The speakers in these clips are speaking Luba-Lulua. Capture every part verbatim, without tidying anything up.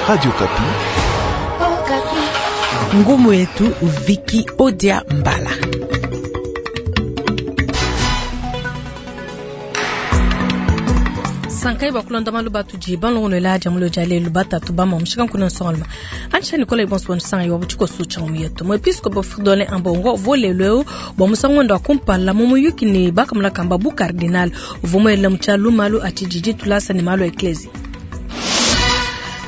Radio Okapi. Ngumu yetu Viki Odia Mbala. Sankai bakulonda malu batudi balongolola dia mulo dia lelu batatu bama mushika nkuna nsongaluma antsha Nicolas Ibonso nsanga yo butshiko sucha mu yetu mwepiskopo Fridolin Ambongo volelo bwa musango ndo akumpala mu muyuki ne bakamula kamba bu cardinal uvumwela muchalu malu atijiji tulasa ne malu eklesi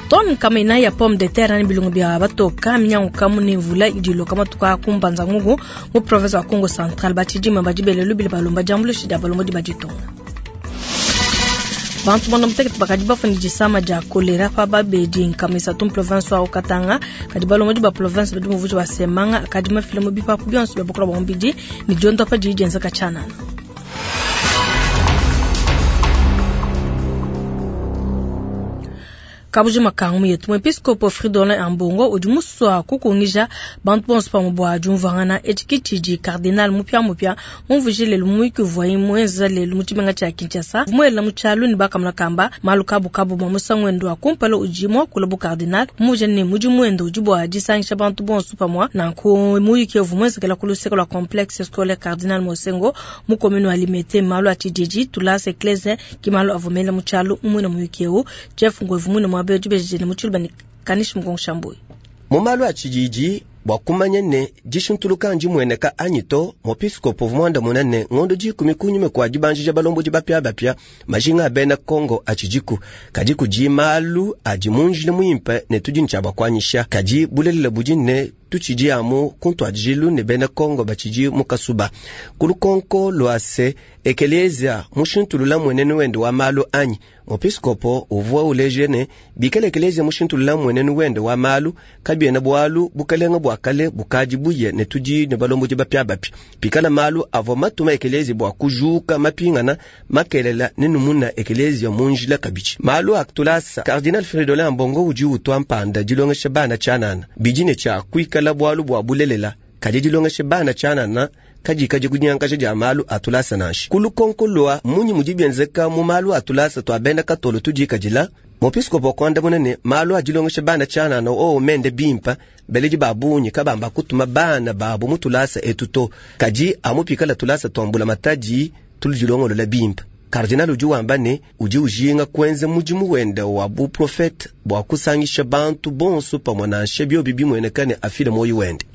ton kama ya pomme de terre ni bilungu bya batoka minyangu kamu ne mvula idiloka matuka kumbanza ngungu mu province wa Kongo Central batijima badibele lubili balomba jambulushi dia balomba di baditonga bantu banda mutekete bakadi bafuni disama dia kolera pa babedi nkamisa tum province wa Katanga kadi balomba di ba province badi muvuji wa semanga kadi mafile mu bipapu bionso bya bukola bwa mbidi ni diondo pa didi dienzeka tshianana. Kabuji makangu yetu mwepiskopo Fridolin Ambongo udi muswa kukungija bantu bonso pamwe bua diumvuangana etshikitshidi cardinal mupia mupia mumvuje lelu muyuki uvuaye muenza lelu mu tshimenga tshia Kinshasa muela mu tshialu ne bakamuna kamba malu kabukabu bua musangu wende wa kumpala udi muakula bu cardinal mumvuje ne mudimu wende udi bua disangisha bantu bonso pamue nanku muyuki uvua muenzekela ku luseke lua complexe scolaire cardinal Mosengo mu commune wa Limete malu a tshididi tulasa eklese ki malu avua mela mu tshialu mumuina muyuki eu Jeff Ngwevu muina mua mu malu a tshididi bua kumanya ne dishintuluka ndimueneka anyi to muepiskopo mwanda munene ngondo dikumi kunyuma kua dibanjija balombodi bapiabapia majinga a bena Kongo atshidiku kadi kudi malu adi munjila muimpe ne tudi ntshia bakuanyisha kadi bulelela budi ne tutshidi amu kuntuadijilu ne bena Kongo batshidi mu kasuba kulukonko lua se ekelezia mushintulula mwenenu wende wa malu anyi muepiskopo uvua uleje ne bikala ekelezia mushintulula mwenenu wende wa malu kabiena bualu bukalenga bua kale bukadi buye ne tudi ne balombodi bapiabapia pikala malu avua matuma ekelezia bua kujuka mapingana makelela ne numuna ekelezia munjila kabidi malu akutulasa cardinal Fridolin Ambongo udi utua mpanda dilongesha bana tshianana bidi ne tshia kuikala bualu bua bulelela kadi dilongesha bana tshianana kadi kadi kunyankaja dia malu atulasa nansha kulukonko lua munyi mudi bienzeka mu malu atulasa tua bena katolo tudikadila muepiskopo kuandamuna ne malu adilongesha bana tshianana oo mende bimpa beledi babunyi kabamba kutuma bana babu mutulasa etu to kadi amupikala tulasa tuambula matadi tuludilongolola bimpa Cardinal udi wamba ne udi ujinga kuenza mudimu wende wa buprofete bua kusangisha bantu bonso pamue nansha biobi bimueneka ne afile moyo wende.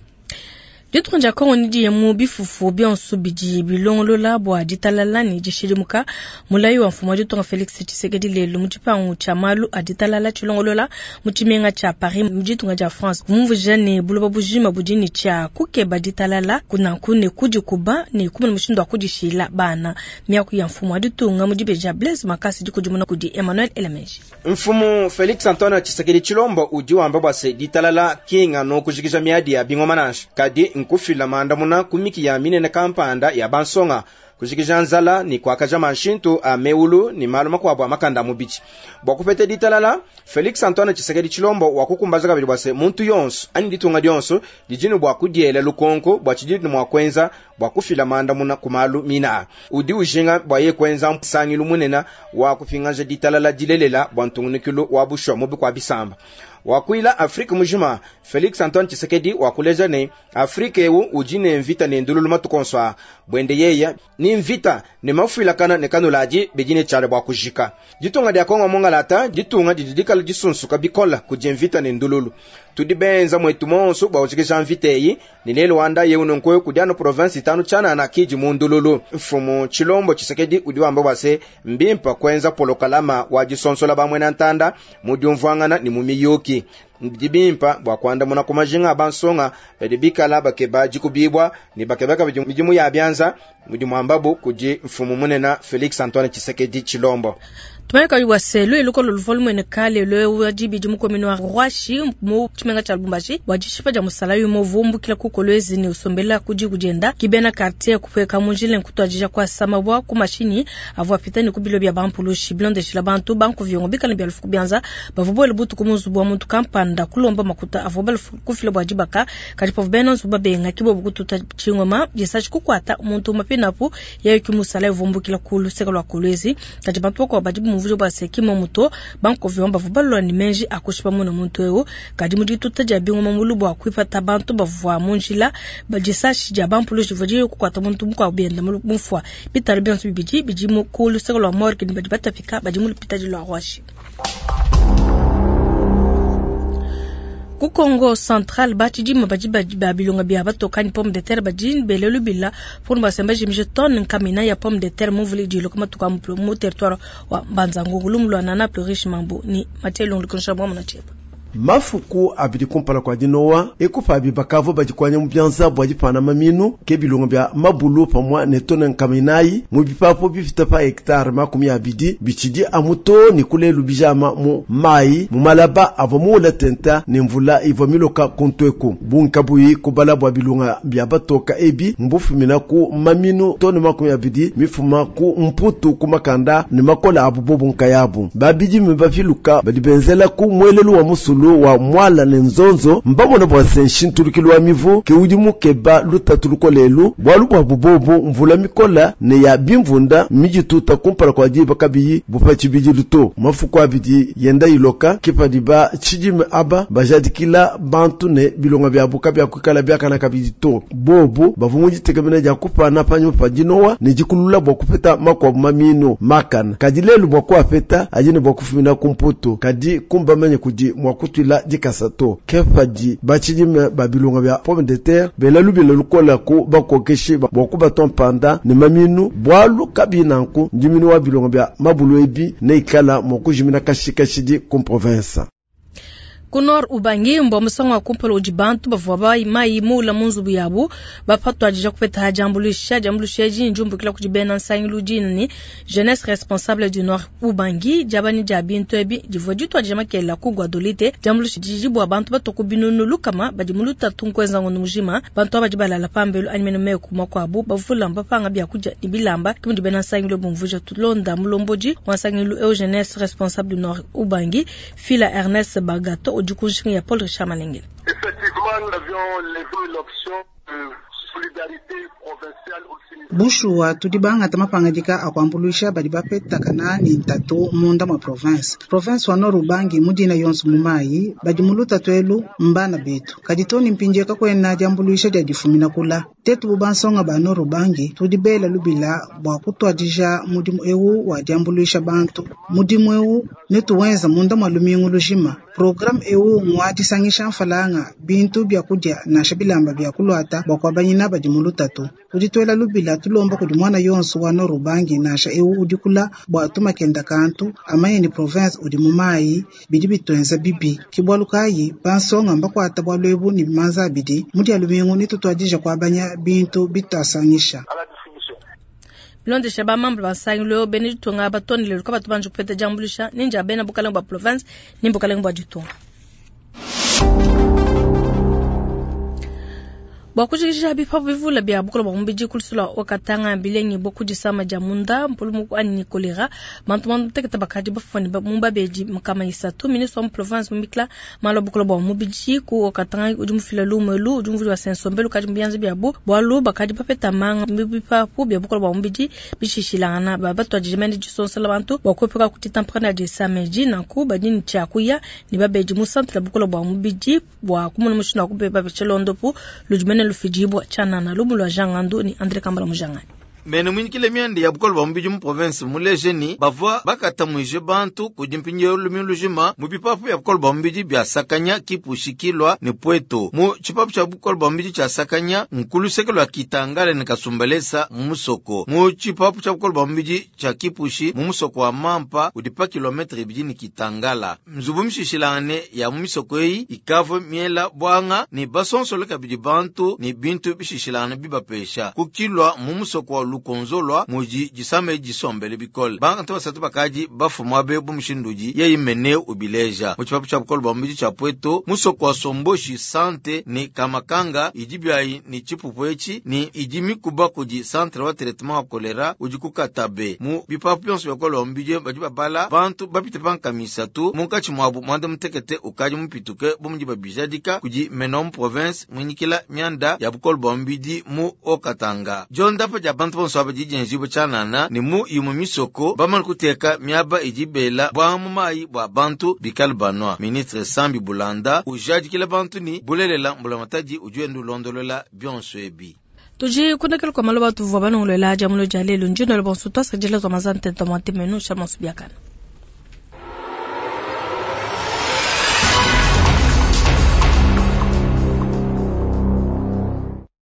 Ditunga dia Kongo ni mu bifufu bionso bidi bilongolola bua ditalala ne dishidimuka mulayi wa mfumu wa ditunga Felix Tshisekedi lelu mu tshipangu tshia malu a ditalala tshilongolola mu tshimenga tshia Paris mu ditunga dia France mumvuija ne buloba bujima budi ne tshia kukeba ditalala kunanku ne kudikuba ne kumona mushindu wa kudishila bana miaku ya mfumu wa ditunga mu dibeji dia Blaise Makasi dikudimuna kudi Emmanuel Elemeji. Mfumu Felix Antoine Tshisekedi Tshilombo udi wamba bua se ditalala kinga no kujikija miadi ya bingoma nansha kadi nkufila mandamuna kumiki ya minene kampanda ya bansonga kujikija nzala ni kuakaja manshintu a meulu ni malu makuabu a makanda mubidi bua kupeta ditalala Felix Antoine Tshisekedi Tshilombo wakukumbaza kabidi bua se muntu yonso ani ditunga dionso didini bua kudiela lukonko bua tshididi mua kuenza bua kufila mandamuna ku malu mina udi ujinga bua ye kuenza msangilu munene wa kupingaja ditalala dilelela bua ntungunukilu wa bushwa mubi kwa bisamba wakuila Afrika mujima Felix Antoine Tshisekedi wakuleja ne Afrika eu udi ne mvita ne ndululu matukonso bwende yeya ni mvita ne mafuilakana ne kanuladi bidine tshiala bua kujika ditunga dia Kongo mongalata ditunga didi dikala disunsuka bikola kudi mvita ne ndululu tudi benza mwetu monso bua kujikija mvita eyi ni lelo wanda yeu nonkoyo kudi anu province itanu tshianana kidi mu ndululu mfumu Tshilombo Tshisekedi udi wamba bua se mbimpa kuenza polokalama wa disonsola bamwena ntanda mu diumvuangana ni mu miyuki dibimpa bua kuandamuna ku majinga a bansonga badi bikala bakeba dikubibwa ne bakeba kabidi midimu ya bianza mudimu ambabu kudi mfumu munene Felix Antoine Tshisekedi Tshilombo. Tumayeka wa selo eloko lo volume ne kale lo wa dibidi mu commune wa Rwashi mu tshimenga tshia Lubumbashi bua dishipa dia musala yu muvumbukila ku Kolwezi ne usombela kudi kudienda kibena quartier kupeka munjile nkutwadija kwa samabwa ku mashinyi avua pita ne kubilo bya bampulushi bilondeshila bantu banku viongo bikala bya lufuku bianza bavua butu ku muzubu wa muntu kampanda kulomba makuta avua kufila bua dibaka kadi pavu bena nzubu babenga kibobu kututa tshingoma disashi kukwata muntu mapinapu yayo ki musala uvumbukila ku luseke lua Kolwezi kadi bantu bakuabu badi mumvuje bua se ki mmomu to. Bankovion bavua balua ne meji a kushipa muna muntu eu, kadi mu dituta dia bingoma mulu bua kuipata bantu bavua mu njila, disashi dia bampulushi divua diye kukuata muntu mukuabu bienda mufua. Bitalu bionso bibidi bidi mu ku luseke lua morgue ne badi batapika badi mu lupitadi lua Ruashi. Ku Kongo Central batshidima badi ba bilonga bia batoka ni pomme de terre badi bele lubila pour basemba jimije tonne nkamina ya pomme de terre muvuli diloka matuka mu territoire wa Mbanza-Ngungu. Lumu lua Nana Plurish Mambu ni Mathieu Longo mwa munacheba. Mafuku abidi kumpala kwa dinowa ekupa bibakavo badikwanya mu byanza bwa dipana maminu ke bilongo bya mabulu pamwa ne tone nkaminayi mu bipapo bifita pa hectare makumi abidi bichidi amuto ni kulelu bijama mu mai mu malaba avo muula tenta ne mvula ivwa miloka kontweku bunkabuyi kubala bwa bilonga bya batoka ebi mbufumina ku maminu tone makumi abidi mifuma ku mputu ku makanda ne makola abu bobu nkayabu babidi mibafiluka badibenzela ku mwelelu wa musulu wa mwala ne nzonzo mbamona bwa senshintulukilo wa mivu ke udi mukeba lutatu lukolelu bwalu bwa bubobu mvula mikola ne ya bimvunda mijituta kumpala kwa diba kabiyi bupachi bidilu mafuku abidi yenda iloka kipadiba chidime aba bajadikila bantu ne bilonga bya buka bya kwikala byakana kabidi to bobu bavu mujitegemena dia kupana panyu pa dinowa ne dikulula bwa kupeta makwabu mamino makana kadi lelu bwa kuapeta ajine bwa kufumina kumputu kadi kumbamanye kudi mwa kutwila dikasato kefadi bachidime babilonga bya pomme de terre bela lubila lukola ku bakokeshi bwa kubaton panda ne maminu bwalu kabinanku ndiminu wa bilonga bya mabulu ebi ne ikala mokujimina kashikashidi ku province. Ku Nord Ubangi mbwa musango wa kumpala udi bantu bavua ba mai mula mu nzubu yabu bapatwadija kupeta diambuluisha. Diambuluisha edi ndiumbukila kudi bena nsangilu dina jeunesse responsable du Nord Ubangi diabani dia bintu ebi divua ditwadija makela ku Guadolite. Diambuluisha didi bua bantu batoku binunu lukama badi mu lutatu nkuenza ngondo mujima. Bantu aba badi balala pambelu anyi mene meku makuabu bavula mbapanga biakudia ne bilamba ke mudi bena nsangilu bumvuija. Tulonda mulombodi wa nsangilu eu jeunesse responsable du Nord Ubangi Fila Ernest Bagato ya Paul Richard Malengele. Effectivement, nous avions levé l'option de solidarité provinciale aussi. Bushuwa tudi bangata mapangadika akuambuluisha badi bapetakana ni ntatu munda mwa province. Province wa Nord Ubangi mudina yonso mumayi badi muluta twelu mbana betu. Kadi toni mpinje kakwena diambuluisha dia difumina kula. Tetu bubansonga ba Nord Ubangi tudi bela lubila bwa kutwadija mudimu ewu wa diambuluisha bantu. Mudimu ewu netuwenza munda mwa lumingu lujima. Programme ewu ngwa disangisha mfalanga bintu bya kudia nasha bilamba bya kulwata bwa kwabanyina badi mulutatu. Tudi twela lubila tulomba kudi mwana yonso wa Nord Ubangi nasha ewu udikula bwa tumakenda kantu amanye ni province udi mumayi bidi bitwenza bibi. Kibwalu kayi bansonga mbakwata bwa lwebu ni bimanza abidi mudi alumingu nitutwadija kwabanya bintu bitasangisha. Bilondesha ba membre ba nsangilu bene ditunga batonele luka batu banji kupeta diambuluisha ninja bena bukalenga bwa province ni bukalenga bwa ditunga. Bwa kujikisha bipapu bivula bya bukola bwa mubidi kulusula wakatanga bilengi bwa kudisama dia munda mpulumu anyi kolera bantu bantu teketa bakadi bafani mumba beji mukama isatu ministre wa province mumikla malo bukola bwa mubidi ku wakatanga udi mufila lumelu udi mvuli wa sensombelu kadi mbianze bya bu bwalu bakadi bapeta manga bipapu bya bukola bwa mubidi bishishilana ba batwa jimende disonsela bantu bwa kopeka kutita mpana de samedi nanku badini tchakuya ni babeji mu centre bukola bwa mubidi bwa kumuna mushina kubeba bechelondopu lujimene lufijibwa chanana lumulwa jangandu ni André Kambala mujangani. Mene mwinyikile myende ya bukola bwa mubidi mu province mulejeni bavua bakatamwije bantu kudi mpindieu lumingu lujima mu bipapu bya bukola bwa mubidi bya Sakanya kipushikilwa ne Pweto. Mu tshipapu tshia bukola bwa mubidi tshia Sakanya nkuluseke lwa Kitangala ne Kasumbalesa mu musoko. Mu tshipapu tshia bukola bwa mubidi tshia Kipushi mu musoko wa Mampa udi pa kilometre ibidi ne Kitangala. Nzubu mishishilangane ya mu misoko eyi ikavua miela bwanga ne basonsole kabidi bantu ne bintu bishishilangane bibapesha. Kukilwa mu musoko wa lukonzolwa muji jisame jisombele bikole. Bantu basatu bakaji bafumwa be bumushinduji yeyi mene ubileja. Mu tshipapu tshia bukola bwa mubidi tshia Pweto musoko wa Somboshi sante ni Kamakanga idibyayi ni tshipupu etshi ni idi mikuba kudi centre wa traitement wa kolera udi kukatabe. Mu bipapu bionso bya bukola bwa mubidi badi babala bantu bapite pankamisatu munkatshi mwabu mwanda mutekete ukaji mupituke bumuji babijadika kudi menom province mwinyikila myanda ya bukola bwa mubidi mu Okatanga. Jondapa dia bantu bonso aba didi dienjibua tshianana ne mu imue misoko bamane kuteka miaba idi bela buanga mu mayi bua bantu bikale banua. Ministre Sambi Bulanda ujadikila bantu ni bulelela mbulamatadi udi wenda ulondolola bionso ebi. Tudi kundekela kwa maloba tuvua balongolola dia mulo dia lelu ndino le bonso twasakidila twa mazante twa mwantemenu sha masu biakana.